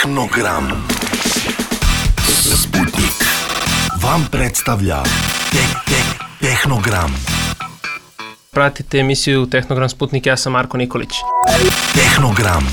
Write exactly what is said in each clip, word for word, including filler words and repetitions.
Tehnogram. Sputnik vam predstavlja Tek Tek Tehnogram. Pratite emisiju Tehnogram Sputnik, ja sam Marko Nikolić. Tehnogram.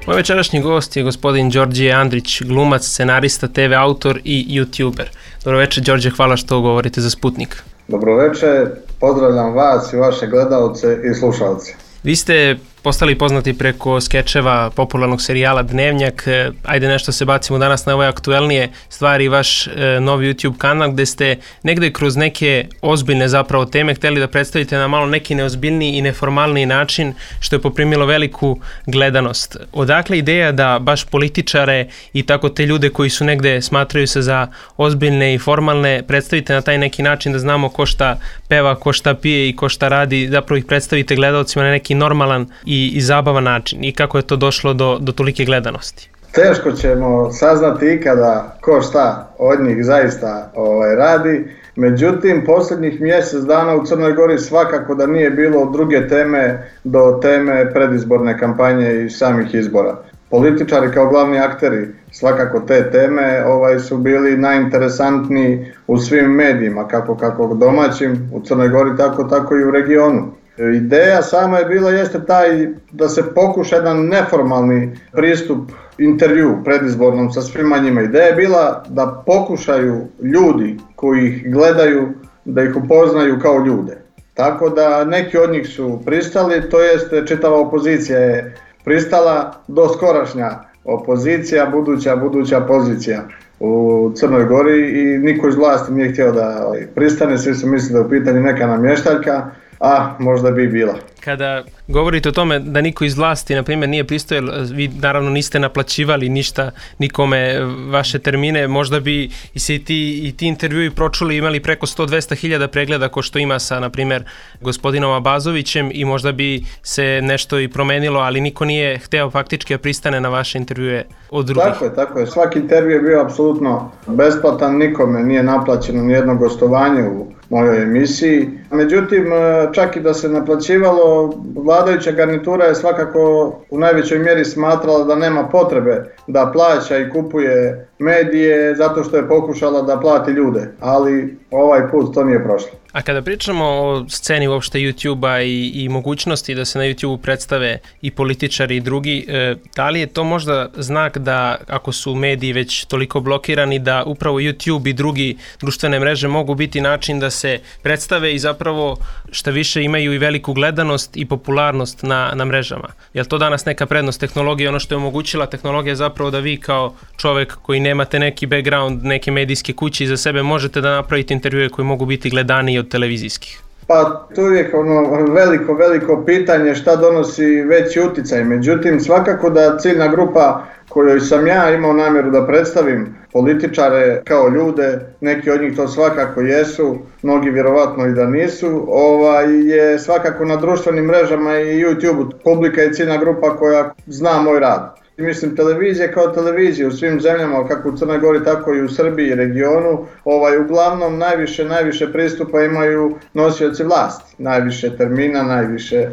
Moj večerašnji gost je gospodin Đorđe Andrić, glumac, scenarista, te ve autor i youtuber. Dobro večer, Đorđe, hvala što govorite za Sputnik. Dobro večer, pozdravljam vas i vaše gledalce i slušalce. Vi ste postali poznati preko skečeva popularnog serijala Dnevnjak. Ajde nešto se bacimo danas na ove aktuelnije stvari, vaš e, novi YouTube kanal gde ste negde kroz neke ozbiljne zapravo teme hteli da predstavite na malo neki neozbiljniji i neformalniji način, što je poprimilo veliku gledanost. Odakle ideja da baš političare i tako te ljude koji su negde smatraju se za ozbiljne i formalne predstavite na taj neki način da znamo ko šta peva, ko šta pije i ko šta radi, zapravo ih predstavite gledalcima na neki normalan i i zabavan način i kako je to došlo do, do tolike gledanosti? Teško ćemo saznati ikada ko šta od njih zaista ovaj, radi, međutim posljednjih mjesec dana u Crnoj Gori svakako da nije bilo od druge teme do teme predizborne kampanje i samih izbora. Političari kao glavni akteri svakako te teme ovaj, su bili najinteresantniji u svim medijima, kako, kako domaćim u Crnoj Gori, tako, tako i u regionu. Ideja sama je bila jeste taj da se pokuša jedan neformalni pristup intervju predizbornom sa svima njima. Ideja je bila da pokušaju ljudi koji ih gledaju da ih upoznaju kao ljude. Tako da neki od njih su pristali, to jeste čitava opozicija je pristala, do skorašnja opozicija, buduća, buduća pozicija u Crnoj Gori i niko iz vlasti nije htio da pristane, svi su mislili da je u pitanju neka namještaljka, a možda bi bila. Kada govorite o tome da niko iz vlasti, na primjer, nije pristojao, vi naravno niste naplaćivali ništa nikome vaše termine, možda bi i se i ti, i ti intervjui pročuli imali preko sto do dvesta hiljada pregleda ko što ima sa, na primjer, gospodinom Abazovićem i možda bi se nešto i promenilo, ali niko nije hteo faktički da pristane na vaše intervjue od drugih. Tako je, tako je. Svaki intervju je bio apsolutno besplatan, nikome nije naplaćeno nijedno gostovanje u mojoj emisiji. Međutim, čak i da se naplaćivalo, vladajuća garnitura je svakako u najvećoj mjeri smatrala da nema potrebe da plaća i kupuje medije zato što je pokušala da plati ljude, ali ovaj put to nije prošlo. A kada pričamo o sceni uopšte YouTube-a i, i mogućnosti da se na YouTube predstave i političari i drugi, e, da li je to možda znak da ako su mediji već toliko blokirani da upravo YouTube i drugi društvene mreže mogu biti način da se predstave i zapravo šta više imaju i veliku gledanost i popularnost na, na mrežama? Je li to danas neka prednost tehnologije? Ono što je omogućila tehnologija je zapravo da vi kao čovek koji nemate neki background, neke medijske kuće iza sebe možete da napravite intervjue koji mogu biti gledaniji od televizijskih? Pa tu je ono veliko, veliko pitanje šta donosi veći uticaj. Međutim, svakako da ciljna grupa kojoj sam ja imao namjeru da predstavim političare kao ljude, neki od njih to svakako jesu, mnogi vjerovatno i da nisu, ovaj, je svakako na društvenim mrežama i YouTube. Publika je ciljna grupa koja zna moj rad. Mislim, televizija kao televizija u svim zemljama, kako u Crnoj Gori, tako i u Srbiji i regionu, ovaj, uglavnom najviše, najviše pristupa imaju nosioci vlasti. Najviše termina, najviše e,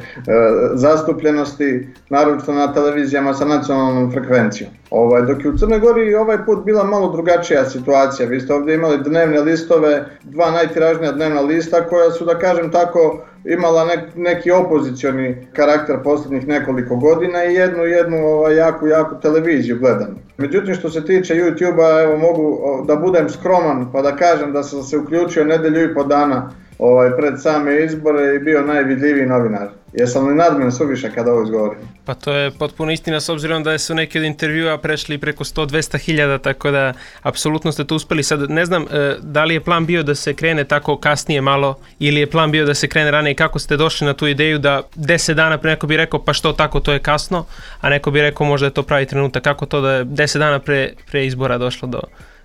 zastupljenosti, naročito na televizijama sa nacionalnom frekvencijom. Ovaj, dok je u Crnoj Gori ovaj put bila malo drugačija situacija. Vi ste ovdje imali dnevne listove, dva najtiražnija dnevna lista koja su, da kažem tako, imala nek, neki opozicioni karakter posljednjih nekoliko godina i jednu, jednu ovaj, jaku, jaku televiziju gledanu. Međutim, što se tiče YouTube-a, evo mogu da budem skroman pa da kažem da sam se uključio nedelju i po dana ovaj, pred same izbore i bio najvidljiviji novinar. Jesam li nadmen suviše kada ovo izgovorim? Pa to je potpuno istina s obzirom da su neki od intervjua prešli preko sto do dvesta hiljada, tako da apsolutno ste to uspeli. Sad ne znam da li je plan bio da se krene tako kasnije malo ili je plan bio da se krene ranije. Kako ste došli na tu ideju da deset dana pre, neko bi rekao pa što tako, to je kasno, a neko bi rekao možda je to pravi trenutak. Kako to da je deset dana pre, pre izbora došlo do,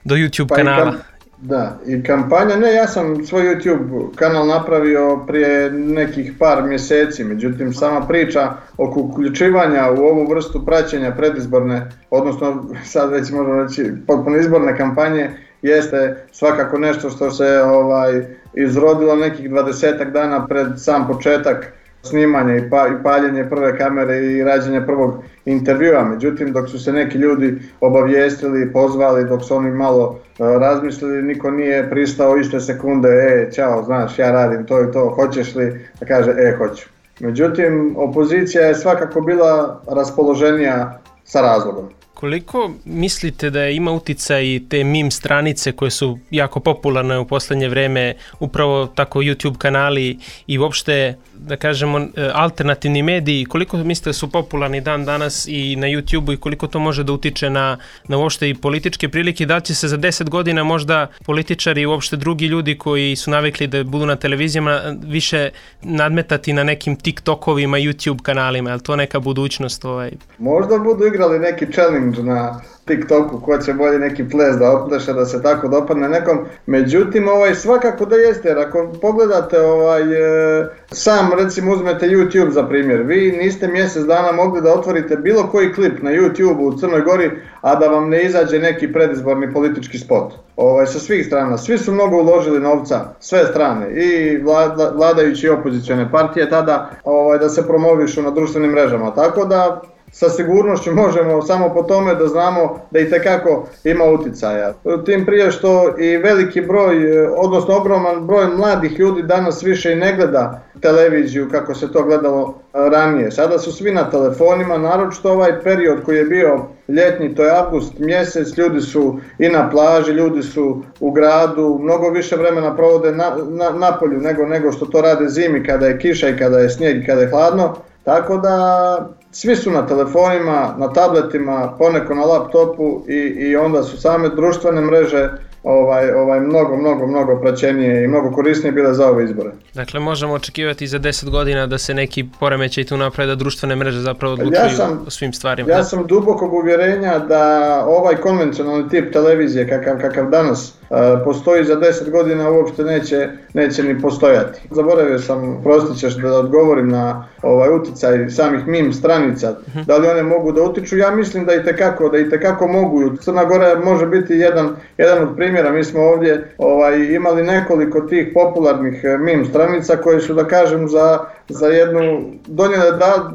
do YouTube pa kanala? Da, i kampanja, ne, ja sam svoj YouTube kanal napravio prije nekih par mjeseci, međutim sama priča oko uključivanja u ovu vrstu praćenja predizborne, odnosno sad već možemo reći potpuno izborne kampanje, jeste svakako nešto što se ovaj izrodilo nekih dvadesetak dana pred sam početak snimanja i, pa, i paljenje prve kamere i rađenje prvog intervjua. Međutim, dok su se neki ljudi obavijestili, pozvali, dok su oni malo uh, razmislili, niko nije pristao iste sekunde, e, čao, znaš, ja radim to i to, hoćeš li? Da kaže, e, hoću. Međutim, opozicija je svakako bila raspoloženija sa razlogom. Koliko mislite da ima uticaj te meme stranice koje su jako popularne u poslednje vreme, upravo tako YouTube kanali i uopšte, da kažemo, alternativni mediji, koliko mislite da su popularni dan danas i na YouTubeu i koliko to može da utiče na, na uopšte i političke prilike, da li će se za deset godina možda političari i uopšte drugi ljudi koji su navikli da budu na televizijama više nadmetati na nekim TikTokovima, YouTube kanalima, je li to neka budućnost? Ovaj? Možda budu igrali neki challenge na TikToku, ko će bolje neki ples da opleše, da se tako dopadne nekom. Međutim, ovaj, svakako da jeste, jer ako pogledate ovaj, e, sam recimo uzmete YouTube za primjer, vi niste mjesec dana mogli da otvorite bilo koji klip na YouTubeu u Crnoj Gori, a da vam ne izađe neki predizborni politički spot. Ovaj, sa svih strana, svi su mnogo uložili novca, sve strane, i vlada, vladajući i opozicione partije tada, ovaj, da se promovišu na društvenim mrežama, tako da sa sigurnošću možemo samo po tome da znamo da itekako ima uticaja. Tim prije što i veliki broj, odnosno ogroman broj mladih ljudi danas više i ne gleda televiziju kako se to gledalo ranije. Sada su svi na telefonima, naročito ovaj period koji je bio ljetni, to je avgust mjesec, ljudi su i na plaži, ljudi su u gradu, mnogo više vremena provode na, na, na polju nego, nego što to rade zimi kada je kiša i kada je snijeg i kada je hladno. Tako da svi su na telefonima, na tabletima, poneko na laptopu i, i onda su same društvene mreže ovaj, ovaj, mnogo, mnogo, mnogo praćenije i mnogo korisnije bile za ove izbore. Dakle, možemo očekivati za deset godina da se neki poremećaj tu napravi, da društvene mreže zapravo odlučuju ja sam, o svim stvarima. Ja sam dubokog uvjerenja da ovaj konvencionalni tip televizije kakav, kakav danas uh, postoji za deset godina uopšte neće, neće ni postojati. Zaboravio sam, prostit ćeš da odgovorim na ovaj uticaj samih meme stranica, uh-huh. Da li one mogu da utiču, ja mislim da itekako, da itekako mogu. Crna Gora može biti jedan, jedan od primjera. Mi smo ovdje ovaj, imali nekoliko tih popularnih meme stranica koje su, da kažem, za, za jednu donijele da,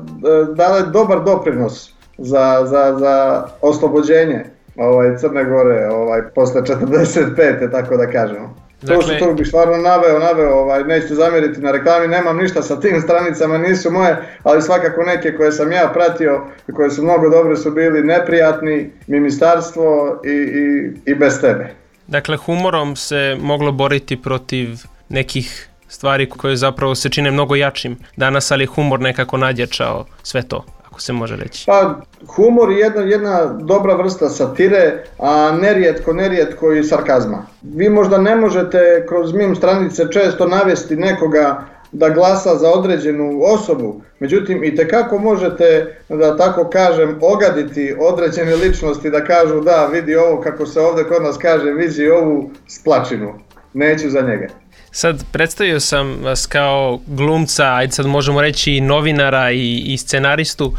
dale dobar doprinos za, za, za oslobođenje ovaj, Crne Gore ovaj, posle četrdeset pete tako da kažemo. Dakle, to što tu bih stvarno naveo, naveo, ovaj, nećete zamjeriti na reklami, nemam ništa sa tim stranicama, nisu moje, ali svakako neke koje sam ja pratio i koje su mnogo dobre su bili Neprijatni, Ministarstvo i, i, i Bez tebe. Dakle, humorom se moglo boriti protiv nekih stvari koje zapravo se čine mnogo jačim danas, ali humor nekako nadjačao sve to, ako se može reći. Pa, humor je jedna, jedna dobra vrsta satire, a nerijetko, nerijetko i sarkazma. Vi možda ne možete kroz meme stranice često navesti nekoga da glasa za određenu osobu, međutim itekako možete, da tako kažem, ogaditi određene ličnosti da kažu da vidi ovo, kako se ovdje kod nas kaže, vidi ovu splačinu, neću za njega. Sad, predstavio sam vas kao glumca, ajde sad možemo reći i novinara i, i scenaristu,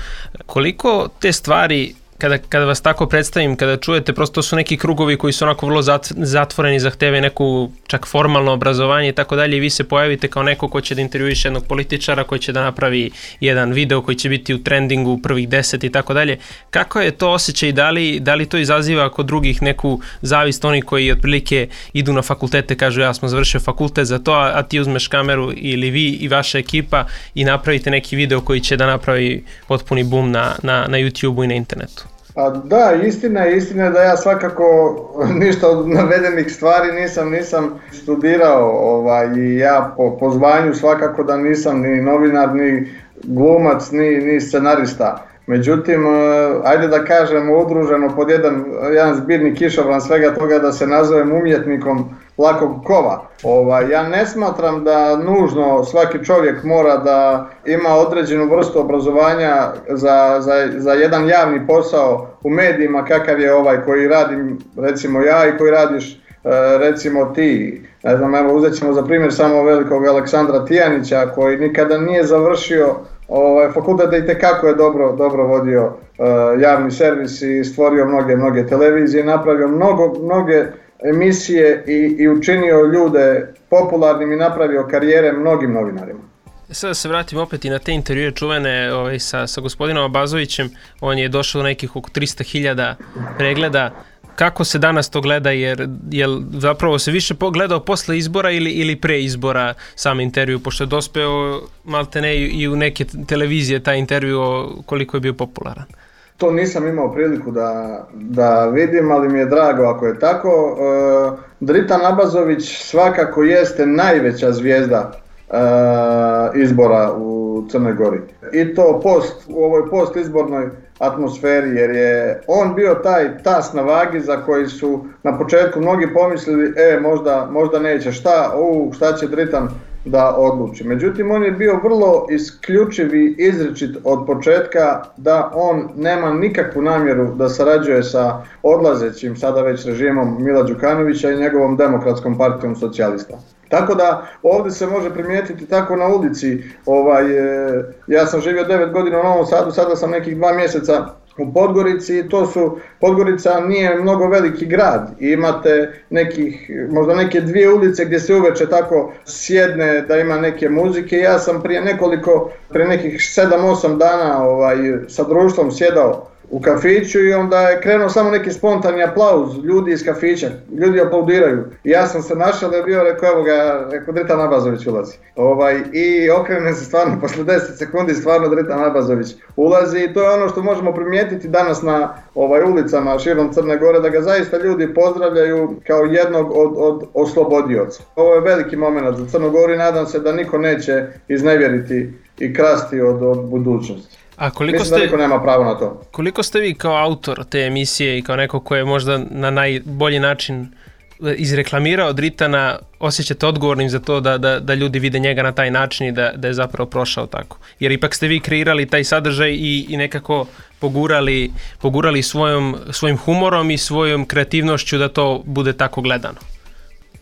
koliko te stvari, kada, kada vas tako predstavim, kada čujete, prosto to su neki krugovi koji su onako vrlo zatvoreni, zahteve neku čak formalno obrazovanje i tako dalje, i vi se pojavite kao neko ko će da intervjuiše jednog političara, koji će da napravi jedan video koji će biti u trendingu u prvih deset i tako dalje. Kako je to osjećaj, da li, da li to izaziva kod drugih neku zavist, oni koji otprilike idu na fakultete, kažu ja smo završio fakultet za to, a ti uzmeš kameru ili vi i vaša ekipa i napravite neki video koji će da napravi potpuni boom na, na, na YouTubeu i na internetu? A da, istina je, istina je da ja svakako ništa od navedenih stvari nisam, nisam studirao ovaj, i ja po, po zvanju svakako da nisam ni novinar, ni glumac, ni, ni scenarista. Međutim, ajde da kažemo udruženo pod jedan, jedan zbirni kišobran svega toga da se nazovem umjetnikom lakog kova. Ovaj, ja ne smatram da nužno svaki čovjek mora da ima određenu vrstu obrazovanja za, za, za jedan javni posao u medijima kakav je ovaj koji radim recimo ja i koji radiš recimo ti. Ne znam, evo uzet ćemo za primjer samo velikog Aleksandra Tijanića koji nikada nije završio ovaj, fakultet, da itekako je dobro, dobro vodio uh, javni servis i stvorio mnoge, mnoge televizije, napravio mnogo, mnoge emisije i, i učinio ljude popularnim i napravio karijere mnogim novinarima. Sada da se vratim opet i na te intervjue čuvene ovaj, sa, sa gospodinom Abazovićem. On je došao do nekih oko tristo hiljada pregleda. Kako se danas to gleda, jer jel zapravo se više gledao posle izbora ili, ili pre izbora sam intervju, pošto je dospeo maltene i u neke televizije taj intervju koliko je bio popularan? To nisam imao priliku da, da vidim, ali mi je drago ako je tako. E, Dritan Abazović svakako jeste najveća zvijezda e, izbora u Crnoj Gori. I to post, u ovoj postizbornoj atmosferi, jer je on bio taj tas na vagi za koji su na početku mnogi pomislili, e možda, možda neće, šta, u, šta će Dritan da odluči. Međutim, on je bio vrlo isključiv i izričit od početka da on nema nikakvu namjeru da sarađuje sa odlazećim sada već režimom Mila Đukanovića i njegovom Demokratskom partijom socijalista. Tako da ovdje se može primijetiti tako na ulici, ovaj, ja sam živio devet godina u Novom Sadu, sada sam nekih dva mjeseca u Podgorici i to su, Podgorica nije mnogo veliki grad, imate nekih, možda neke dvije ulice gdje se uveče tako sjedne da ima neke muzike. Ja sam prije nekoliko, prije nekih sedam osam dana ovaj, sa društvom sjedao u kafiću i onda je krenuo samo neki spontani aplauz ljudi iz kafića, ljudi aplaudiraju. I ja sam se našao da je bio, rekao, evo ga, rekao, Dritan Abazović ulazi. Ovaj, I okrenem se stvarno, posle deset sekundi stvarno Dritan Abazović ulazi i to je ono što možemo primijetiti danas na ovaj, ulicama širom Crne Gore, da ga zaista ljudi pozdravljaju kao jednog od, od oslobodioca. Ovo je veliki moment za Crnu Goru i nadam se da niko neće iznevjeriti i krasti od, od budućnosti. A koliko Mislim ste, da niko nema pravo na to. Koliko ste vi kao autor te emisije i kao neko ko je možda na najbolji način izreklamirao Dritana, osjećate odgovornim za to da, da, da ljudi vide njega na taj način i da, da je zapravo prošao tako? Jer ipak ste vi kreirali taj sadržaj i, i nekako pogurali, pogurali svojom, svojim humorom i svojom kreativnošću da to bude tako gledano.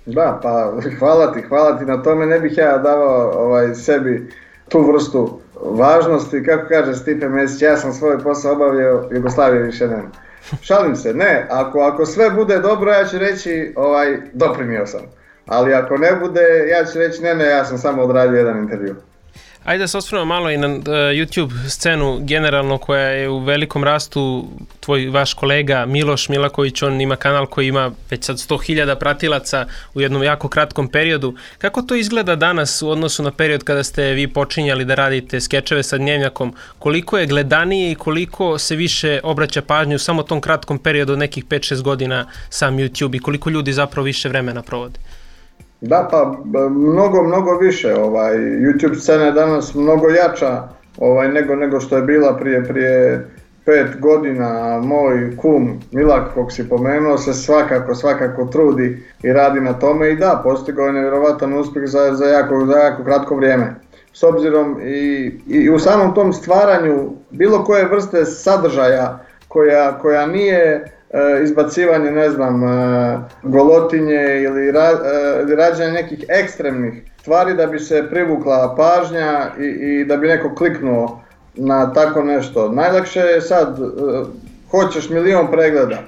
Da, pa hvala ti, hvala ti na tome, ne bih ja davao ovaj, sebi tu vrstu važnosti, kako kaže Stipe Mesić, ja sam svoj posao obavio, Jugoslavije više nema. Šalim se, ne, ako, ako sve bude dobro, ja ću reći, ovaj, doprinio sam. Ali ako ne bude, ja ću reći, ne, ne, ja sam samo odradio jedan intervju. Ajde da se osvrnemo malo i na uh, YouTube scenu generalno koja je u velikom rastu. Tvoj vaš kolega Miloš Milaković, on ima kanal koji ima već sad sto hiljada pratilaca u jednom jako kratkom periodu. Kako to izgleda danas u odnosu na period kada ste vi počinjali da radite skečeve sa Dnevnjakom? Koliko je gledanije i koliko se više obraća pažnju u samo tom kratkom periodu od nekih pet šest godina sam YouTube i koliko ljudi zapravo više vremena provode? Da, pa mnogo, mnogo više. Ovaj, YouTube scena je danas mnogo jača ovaj, nego, nego što je bila prije, prije pet godina. Moj kum Milak, kog si pomenuo, se svakako, svakako trudi i radi na tome i da, postigao je nevjerovatan uspjeh za, za, jako, za jako kratko vrijeme. S obzirom i, i u samom tom stvaranju bilo koje vrste sadržaja koja, koja nije izbacivanje, ne znam, golotinje ili, ra, ili rađanje nekih ekstremnih stvari da bi se privukla pažnja i, i da bi neko kliknuo na tako nešto. Najlakše je sad, hoćeš milion pregleda,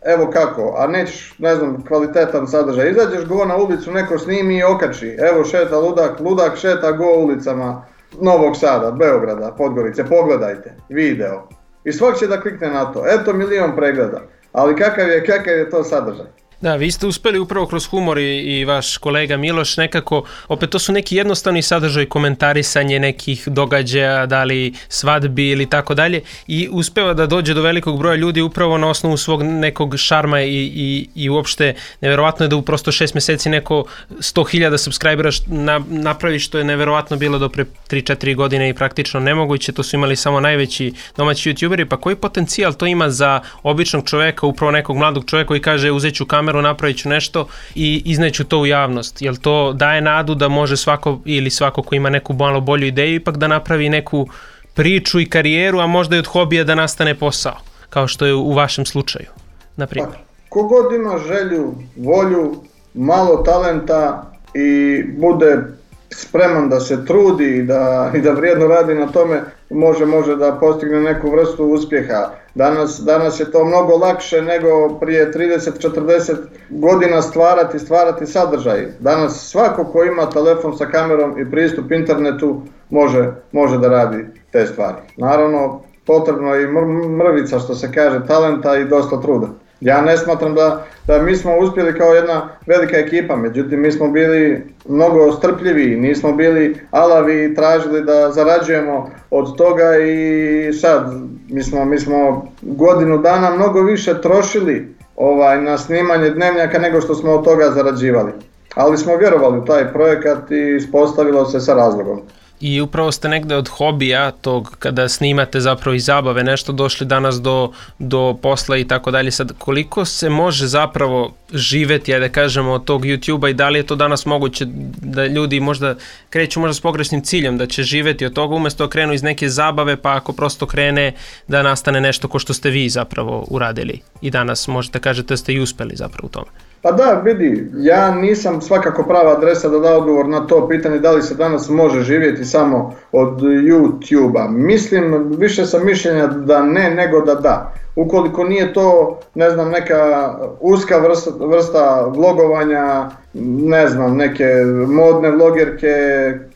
evo kako, a nećeš, ne znam, kvalitetan sadržaj. Izađeš go na ulicu, neko snimi i okači, evo šeta ludak, ludak šeta go ulicama Novog Sada, Beograda, Podgorice, pogledajte, video. I svak će da klikne na to, eto milion pregleda. Ali kakav je, kakav je to sadržaj? Da, vi ste uspeli upravo kroz humor i, i vaš kolega Miloš nekako, opet to su neki jednostavni sadržaj, komentarisanje nekih događaja, da li svadbi ili tako dalje, i uspeva da dođe do velikog broja ljudi upravo na osnovu svog nekog šarma i, i, i uopšte neverovatno je da u prosto šest mjeseci neko sto hiljada subscribera na, napravi, što je neverovatno bilo do pre tri četiri godine i praktično nemoguće. To su imali samo najveći domaći youtuberi. Pa koji potencijal to ima za običnog čoveka, upravo nekog mladog čoveka koji kaže uzet ću kameru, napravit ću nešto i izneću to u javnost? Jel to daje nadu da može svako ili svako ko ima neku malo bolju ideju ipak da napravi neku priču i karijeru, a možda i od hobija da nastane posao, kao što je u vašem slučaju, na primjer? Pa, kogod ima želju, volju, malo talenta i bude spreman da se trudi i da, i da vrijedno radi na tome, može, može da postigne neku vrstu uspjeha. Danas, danas je to mnogo lakše nego prije trideset četrdeset godina stvarati, stvarati sadržaj. Danas svako ko ima telefon sa kamerom i pristup internetu može, može da radi te stvari. Naravno, potrebno je i mrvica, što se kaže, talenta i dosta truda. Ja ne smatram da, da mi smo uspjeli kao jedna velika ekipa, međutim mi smo bili mnogo strpljivi, nismo bili alavi i tražili da zarađujemo od toga i sad mi smo, mi smo godinu dana mnogo više trošili ovaj, na snimanje Dnevnjaka nego što smo od toga zarađivali. Ali smo vjerovali u taj projekat i ispostavilo se sa razlogom. I upravo ste negde od hobija tog kada snimate zapravo i zabave nešto došli danas do, do posla i tako dalje. Sad koliko se može zapravo živeti, ajde da kažemo, od tog YouTube-a i da li je to danas moguće da ljudi možda kreću možda s pogrešnim ciljem da će živeti od toga umjesto krenu iz neke zabave pa ako prosto krene da nastane nešto ko što ste vi zapravo uradili i danas možete kažete da ste i uspeli zapravo u tome. Pa da, vidi, ja nisam svakako prava adresa da da odgovor na to pitanje da li se danas može živjeti samo od YouTube-a. Mislim, više sam mišljenja da ne nego da da. Ukoliko nije to, ne znam, neka uska vrsta, vrsta vlogovanja, ne znam, neke modne vlogerke,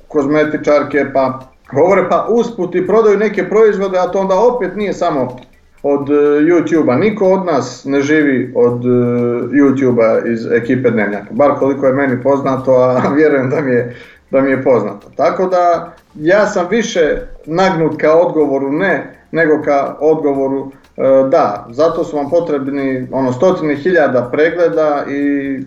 kozmetičarke, pa govore pa usput i prodaju neke proizvode, a to onda opet nije samo od YouTube-a. Niko od nas ne živi od YouTube-a iz ekipe Dnevnjaka, bar koliko je meni poznato, a vjerujem da mi je, da mi je poznato. Tako da ja sam više nagnut ka odgovoru ne, nego ka odgovoru da. Zato su vam potrebni ono, stotine hiljada pregleda i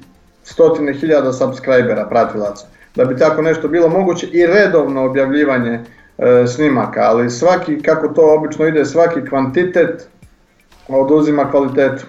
stotine hiljada subscribera, pratilaca, da bi tako nešto bilo moguće i redovno objavljivanje snimaka, ali svaki, kako to obično ide, svaki kvantitet oduzima kvalitetu.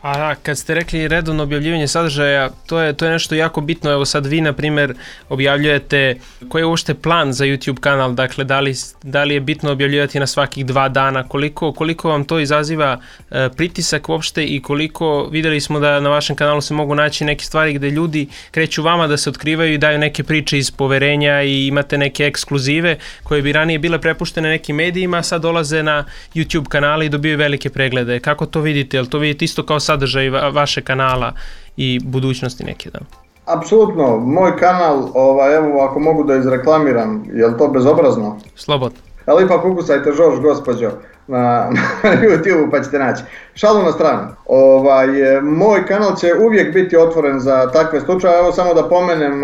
A kad ste rekli redovno objavljivanje sadržaja, to je, to je nešto jako bitno. Evo sad vi, na primjer, objavljujete, koji je uopšte plan za YouTube kanal, dakle da li, da li je bitno objavljivati na svakih dva dana, koliko, koliko vam to izaziva e, pritisak uopšte i koliko, vidjeli smo da na vašem kanalu se mogu naći neke stvari gdje ljudi kreću vama da se otkrivaju i daju neke priče iz poverenja i imate neke ekskluzive koje bi ranije bile prepuštene nekim medijima, a sad dolaze na YouTube kanale i dobiju velike preglede. Kako to vidite? Jel to vidite isto kao sadržaj vaše kanala i budućnosti neke, da? Apsolutno, moj kanal, ovaj, evo ako mogu da izreklamiram, je li to bezobrazno? Slobodno. Ali ipak ukucajte Žorž gospođo na, na YouTube pa ćete naći. Šalu na stranu, ovaj, moj kanal će uvijek biti otvoren za takve slučaje, evo samo da pomenem,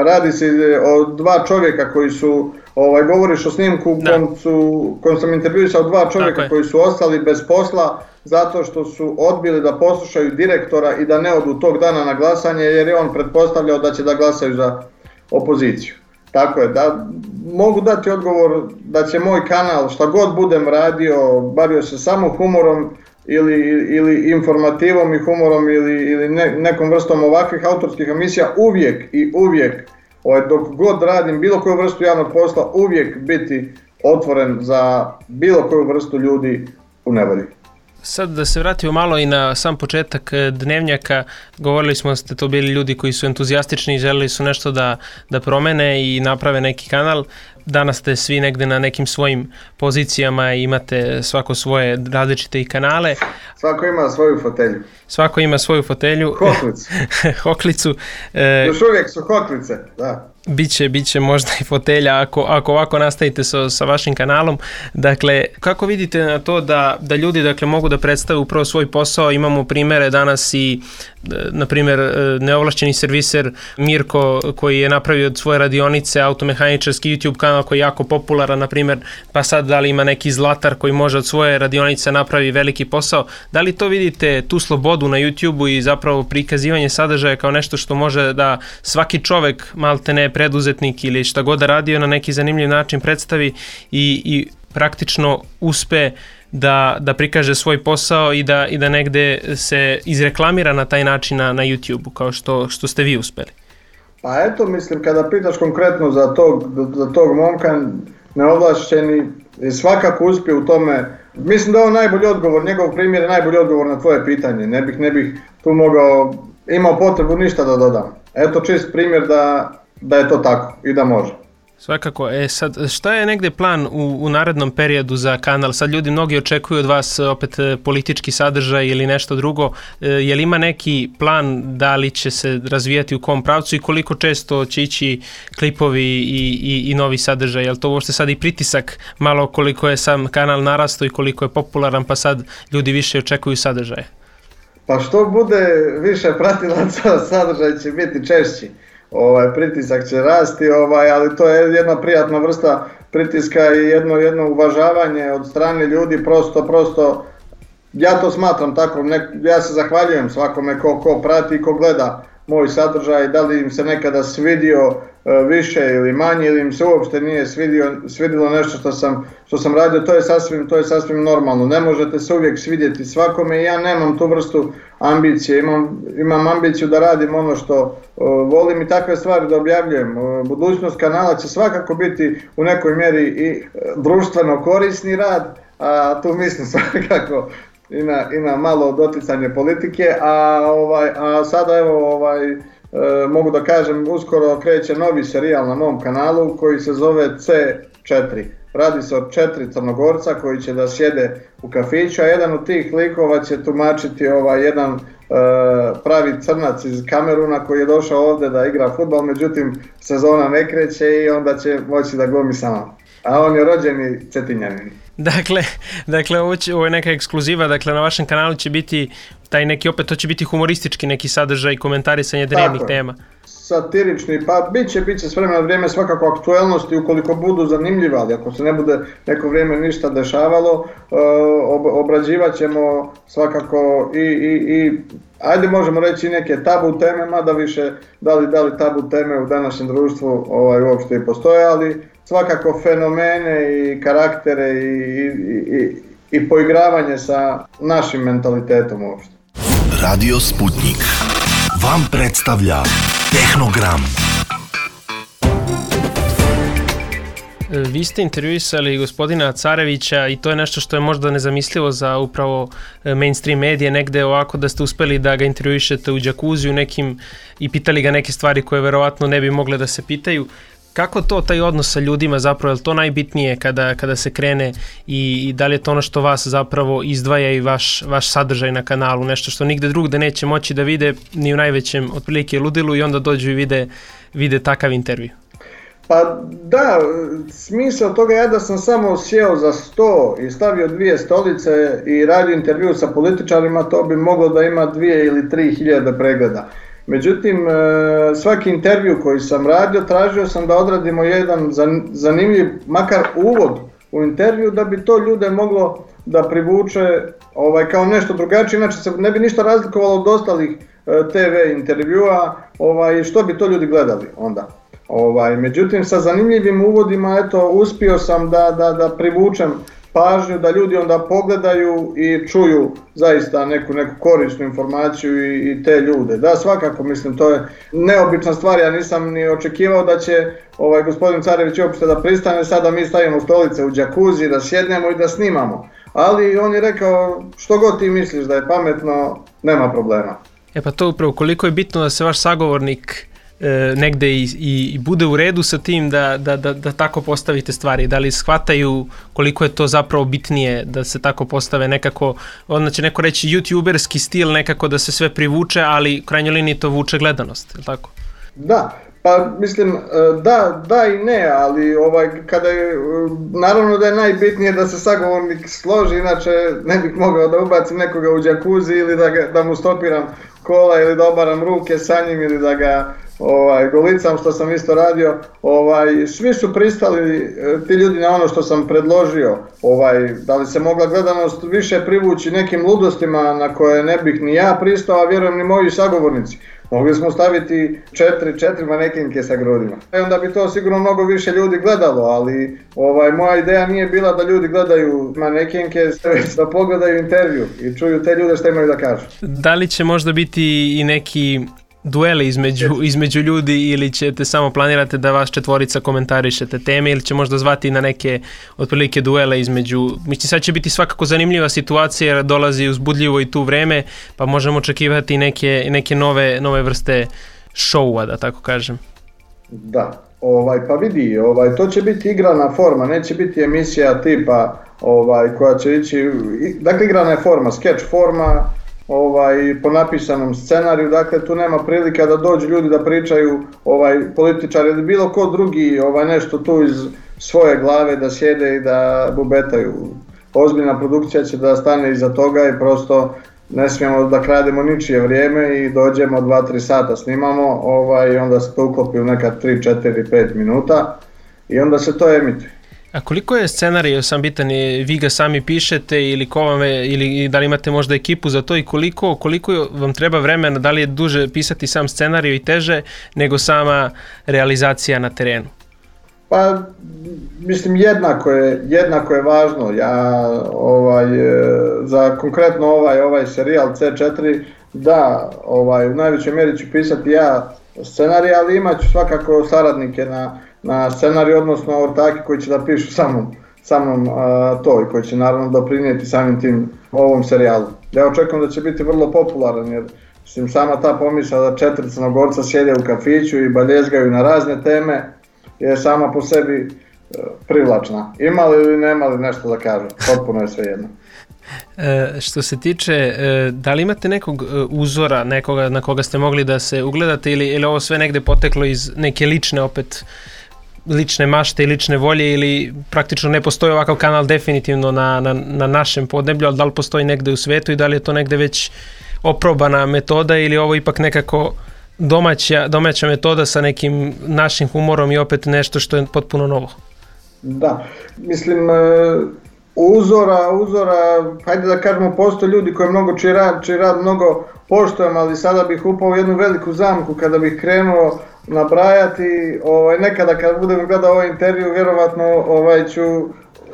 radi se o dva čovjeka koji su, ovaj, govoriš o snimku kom, su, kom sam intervjuisao dva čovjeka koji su ostali bez posla zato što su odbili da poslušaju direktora i da ne odu tog dana na glasanje jer je on pretpostavljao da će da glasaju za opoziciju. Tako je, da mogu dati odgovor da će moj kanal, šta god budem radio, bavio se samo humorom ili, ili informativom i humorom ili, ili ne, nekom vrstom ovakvih autorskih emisija, uvijek i uvijek, ovaj, dok god radim bilo koju vrstu javnog posla, uvijek biti otvoren za bilo koju vrstu ljudi u nevolji. Sad da se vratimo malo i na sam početak Dnevnjaka, govorili smo da ste to bili ljudi koji su entuzijastični i želeli su nešto da, da promene i naprave neki kanal. Danas ste svi negde na nekim svojim pozicijama i imate svako svoje različite i kanale. Svako ima svoju fotelju. Svako ima svoju fotelju. Hoklicu. Hoklicu. E, Još uvijek su hoklice, da. Biće, biće možda i fotelja ako, ako ovako nastavite sa, sa vašim kanalom. Dakle, kako vidite na to da, da ljudi dakle, mogu da predstave upravo svoj posao? Imamo primere danas i, na primjer, neovlašćeni serviser Mirko koji je napravio od svoje radionice automehaničarski YouTube kanal koji je jako popularan, na primjer, pa sad da li ima neki Zlatar koji može od svoje radionice napravi veliki posao. Da li to vidite, tu slobodu na YouTubeu i zapravo prikazivanje sadržaja kao nešto što može da svaki čovek, maltene preduzetnik ili šta god da radio na neki zanimljiv način predstavi i, i praktično uspe da, da prikaže svoj posao i da, i da negde se izreklamira na taj način na, na YouTubeu kao što, što ste vi uspeli? Pa eto, mislim, kada pitaš konkretno za tog, za tog momka, neovlašćeni, svakako uspije u tome. Mislim da je on najbolji odgovor, njegov primjer je najbolji odgovor na tvoje pitanje. Ne bih, ne bih tu mogao, imao potrebu ništa da dodam. Eto čist primjer da, da je to tako i da može. Svakako. E sad, šta je negde plan u, u narednom periodu za kanal? Sad ljudi mnogi očekuju od vas opet politički sadržaj ili nešto drugo. E, je li ima neki plan da li će se razvijati u kom pravcu i koliko često će ići klipovi i, i, i novi sadržaj? Je li to uopšte sad i pritisak malo koliko je sam kanal narastao i koliko je popularan pa sad ljudi više očekuju sadržaje? Pa što bude više pratilaca, sadržaj će biti češći. Ovaj, pritisak će rasti, ovaj, ali to je jedna prijatna vrsta pritiska i jedno, jedno uvažavanje od strane ljudi, prosto, prosto, ja to smatram tako, ne, ja se zahvaljujem svakome ko, ko prati i ko gleda moj sadržaj, da li im se nekada svidio e, više ili manje ili im se uopšte nije svidio, svidilo nešto što sam, što sam radio, to je sasvim, to je sasvim normalno, ne možete se uvijek svidjeti svakome i ja nemam tu vrstu ambicije, imam, imam ambiciju da radim ono što e, volim i takve stvari da objavljujem. E, budućnost kanala će svakako biti u nekoj mjeri i e, društveno korisni rad, a tu mislim svakako I na, i na malo doticanje politike, a, ovaj, a sada evo ovaj, e, mogu da kažem uskoro kreće novi serijal na mom kanalu koji se zove C četiri. Radi se o četiri Crnogorca koji će da sjede u kafiću, a jedan od tih likova će tumačiti ovaj, jedan e, pravi crnac iz Kameruna koji je došao ovdje da igra fudbal, međutim sezona ne kreće i onda će moći da glumi sa nama. A on je rođeni Cetinjanin. Dakle, dakle ovo, će, ovo je neka ekskluziva, dakle na vašem kanalu će biti taj neki, opet to će biti humoristički neki sadržaj, komentarisanje dnevnih tema. Satirični, pa bit će, bit će s vremena vrijeme svakako aktuelnosti ukoliko budu zanimljive, ali ako se ne bude neko vrijeme ništa dešavalo, ob, obrađivat ćemo svakako i, i, i ajde možemo reći neke tabu teme, mada više da li, da li tabu teme u današnjem društvu ovaj, uopšte i postoje, ali svakako fenomene i karaktere i, i, i, i poigravanje sa našim mentalitetom uopšte. Radio Sputnik vam predstavlja Tehnogram. Vi ste intervjuisali gospodina Carevića i to je nešto što je možda nezamislivo za upravo mainstream medije, negde ovako da ste uspeli da ga intervjuišete u džakuziju nekim i pitali ga neke stvari koje verovatno ne bi mogle da se pitaju. Kako to, taj odnos sa ljudima zapravo, je li to najbitnije kada, kada se krene i, i da li je to ono što vas zapravo izdvaja i vaš, vaš sadržaj na kanalu, nešto što nigde drugde neće moći da vide ni u najvećem otprilike ludilu i onda dođu i vide, vide takav intervju? Pa da, smisao toga je da sam samo sjeo za sto i stavio dvije stolice i radio intervju sa političarima, to bi moglo da ima dvije ili tri hiljade pregleda. Međutim, svaki intervju koji sam radio, tražio sam da odradimo jedan zanimljiv, makar uvod u intervju, da bi to ljude moglo da privuče ovaj, kao nešto drugačije, inače se ne bi ništa razlikovalo od ostalih te ve intervjua, ovaj, što bi to ljudi gledali onda. Ovaj, međutim, sa zanimljivim uvodima, eto, uspio sam da, da, da privučem pažnju, da ljudi onda pogledaju i čuju zaista neku, neku korisnu informaciju i, i te ljude. Da, svakako, mislim, to je neobična stvar, ja nisam ni očekivao da će ovaj, gospodin Carević uopšte da pristane, sada mi stavimo stolice u džakuzi, da sjednemo i da snimamo. Ali on je rekao, što god ti misliš da je pametno, nema problema. E pa to upravo, koliko je bitno da se vaš sagovornik negde i, i, i bude u redu sa tim da, da, da, da tako postavite stvari, da li shvataju koliko je to zapravo bitnije da se tako postave nekako, onda će neko reći youtuberski stil nekako da se sve privuče, ali u krajnjoj liniji to vuče gledanost, je li tako? Da, pa mislim da, da i ne, ali ovaj, kada je, naravno da je najbitnije da se sagovornik složi, inače ne bih mogao da ubacim nekoga u džakuzi ili da, ga, da mu stopiram kola ili da obaram ruke sa njim ili da ga ovaj, golicam, što sam isto radio. Ovaj, svi su pristali, ti ljudi, na ono što sam predložio. Ovaj, da li se mogla gledanost više privući nekim ludostima na koje ne bih ni ja pristao, a vjerujem ni moji sagovornici. Mogli smo staviti četiri, četiri manekenke sa grudima. I onda bi to sigurno mnogo više ljudi gledalo, ali ovaj, moja ideja nije bila da ljudi gledaju manekenke, već da pogledaju intervju i čuju te ljude što imaju da kažu. Da li će možda biti i neki dueli između, između ljudi ili ćete samo planirate da vas četvorica komentarišete teme ili će možda zvati na neke otprilike duele između, mislim sad će biti svakako zanimljiva situacija jer dolazi uzbudljivo i tu vreme pa možemo očekivati neke, neke nove, nove vrste šoua, da tako kažem. Da, Ovaj, pa vidi, ovaj, to će biti igrana forma, neće biti emisija tipa ovaj, koja će ići, dakle igrana je forma, sketch forma, ovaj, po napisanom scenariju, dakle tu nema prilika da dođu ljudi da pričaju, ovaj, političari ili bilo ko drugi, ovaj, nešto tu iz svoje glave da sjede i da bubetaju. Ozbiljna produkcija će da stane iza toga i prosto ne smijemo da krademo ničije vrijeme i dođemo dva tri sata snimamo, ovaj, onda se to uklopi u neka tri, četiri, pet minuta i onda se to emituje. A koliko je scenarij sam bitan, vi ga sami pišete ili ko vam je, ili da li imate možda ekipu za to i koliko, koliko vam treba vremena, da li je duže pisati sam scenarij i teže nego sama realizacija na terenu? Pa, mislim, jednako je, jednako je važno. Ja, ovaj, za konkretno ovaj, ovaj serijal C četiri, da, ovaj, u najvećoj mjeri ću pisati ja scenarij, ali imat ću svakako saradnike na, na scenariju, odnosno ortaki koji će da pišu sa mnom, sa mnom a, to i koji će naravno doprinijeti samim tim ovom serijalu. Ja očekujem da će biti vrlo popularan, jer mislim, sama ta pomisla da četiri Crnogorca sjede u kafiću i baljezgaju na razne teme je sama po sebi privlačna. Imali ili nemali nešto da kažu, potpuno je sve jedno. E, što se tiče, e, da li imate nekog uzora, nekoga na koga ste mogli da se ugledate ili, ili ovo sve negde poteklo iz neke lične opet lične mašte i lične volje ili praktično ne postoji ovakav kanal definitivno na, na, na našem podneblju, ali da li postoji negde u svetu i da li je to negde već oprobana metoda ili ovo ipak nekako domaća, domaća metoda sa nekim našim humorom i opet nešto što je potpuno novo? Da, mislim, uzora, uzora, hajde da kažemo, postoje ljudi koji mnogo čiji rad, čiji rad mnogo poštujem, ali sada bih upao u jednu veliku zamku kada bih krenuo nabrajati, ovaj, nekada kad budem gledao ovaj intervju, vjerovatno ovaj, ću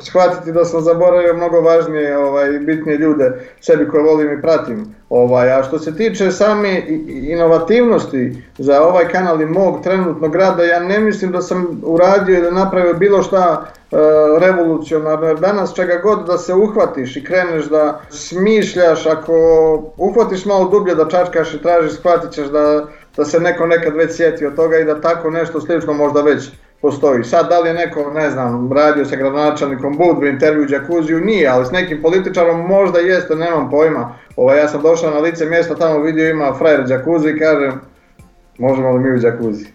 shvatiti da sam zaboravio mnogo važnije, ovaj, bitnije ljude sebi koje volim i pratim. Ovaj, a što se tiče same inovativnosti za ovaj kanal i mog trenutnog rada, ja ne mislim da sam uradio ili napravio bilo šta e, revolucionarno, jer danas čega god da se uhvatiš i kreneš da smišljaš, ako uhvatiš malo dublje da čačkaš i tražiš, shvatit ćeš da, da se neko nekad već sjeti od toga i da tako nešto slično možda već postoji. Sad, da li je neko, ne znam, radio sa gradonačelnikom Budve, intervju u džakuziju, nije, ali s nekim političarom možda jeste, nemam pojma. Ovaj, ja sam došao na lice mjesta, tamo vidio ima frajer džakuzi i kažem, možemo li mi u džakuzi?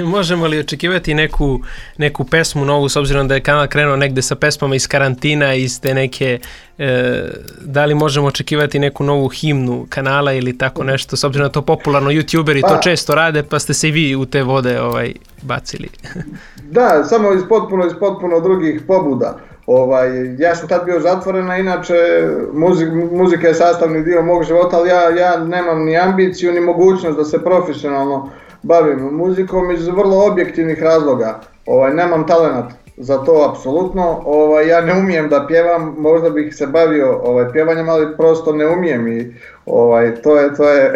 Možemo li očekivati neku, neku pesmu novu, s obzirom da je kanal krenuo negde sa pesmama iz karantina, iz te neke, e, da li možemo očekivati neku novu himnu kanala ili tako nešto, s obzirom da to popularno youtuberi to često rade, pa ste se i vi u te vode ovaj, bacili. Da, samo iz potpuno, iz potpuno drugih pobuda. Ovaj, ja sam tad bio zatvoren, a inače muzik, muzika je sastavni dio mog života, ali ja, ja nemam ni ambiciju ni mogućnost da se profesionalno bavim muzikom iz vrlo objektivnih razloga. Ovaj, nemam talenat za to apsolutno, ovaj, ja ne umijem da pjevam, možda bih se bavio ovaj, pjevanjem, ali prosto ne umijem i ovaj, to je, to je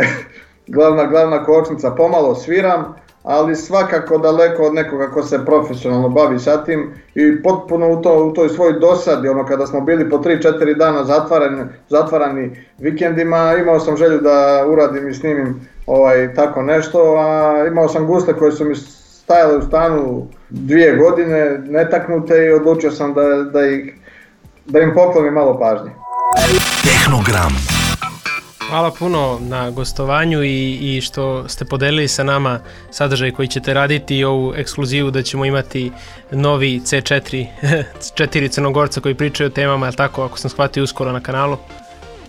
glavna, glavna kočnica, pomalo sviram, ali svakako daleko od nekoga ko se profesionalno bavi sa tim i potpuno u, to, u toj svoj dosadi, ono kada smo bili po tri četiri dana zatvarani, zatvarani vikendima, imao sam želju da uradim i snimim ovaj, tako nešto, a imao sam guste koje su mi stajale u stanu dvije godine, netaknute i odlučio sam da, da, ih, da im poklonim malo pažnje. Tehnogram. Hvala puno na gostovanju i, i što ste podelili sa nama sadržaj koji ćete raditi i ovu ekskluzivu da ćemo imati novi C četiri, četiri Crnogorca koji pričaju o temama, ali tako, ako sam shvatio, uskoro na kanalu.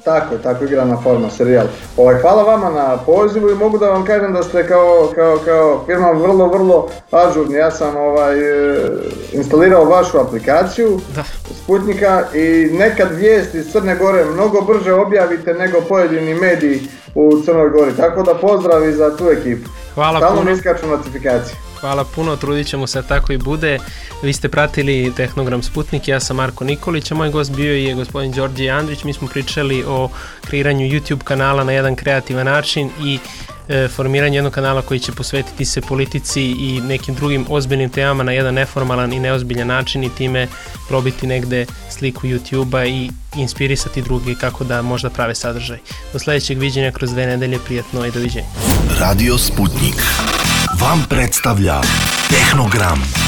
Tako je, tako igrana forma, serijal. Ovaj, hvala vama na pozivu i mogu da vam kažem da ste kao, kao, kao firma vrlo, vrlo ažurni. Ja sam ovaj, instalirao vašu aplikaciju da. Sputnika i nekad vijesti iz Crne Gore mnogo brže objavite nego pojedini mediji u Crnoj Gori. Tako da pozdravi za tu ekipu. Hvala Stalno puno. mi iskaču notifikacije. Hvala puno, trudit ćemo se tako i bude. Vi ste pratili Tehnogram Sputnik, ja sam Marko Nikolić, a moj gost bio je gospodin Đorđe Andrić. Mi smo pričali o kreiranju YouTube kanala na jedan kreativan način i e, formiranju jednog kanala koji će posvetiti se politici i nekim drugim ozbiljnim temama na jedan neformalan i neozbiljan način i time probiti negde sliku YouTube-a i inspirisati drugi kako da možda prave sadržaj. Do sledećeg viđenja kroz dve nedelje, prijatno i doviđenja. Radio Sputnik vam predstavlja Tehnogram.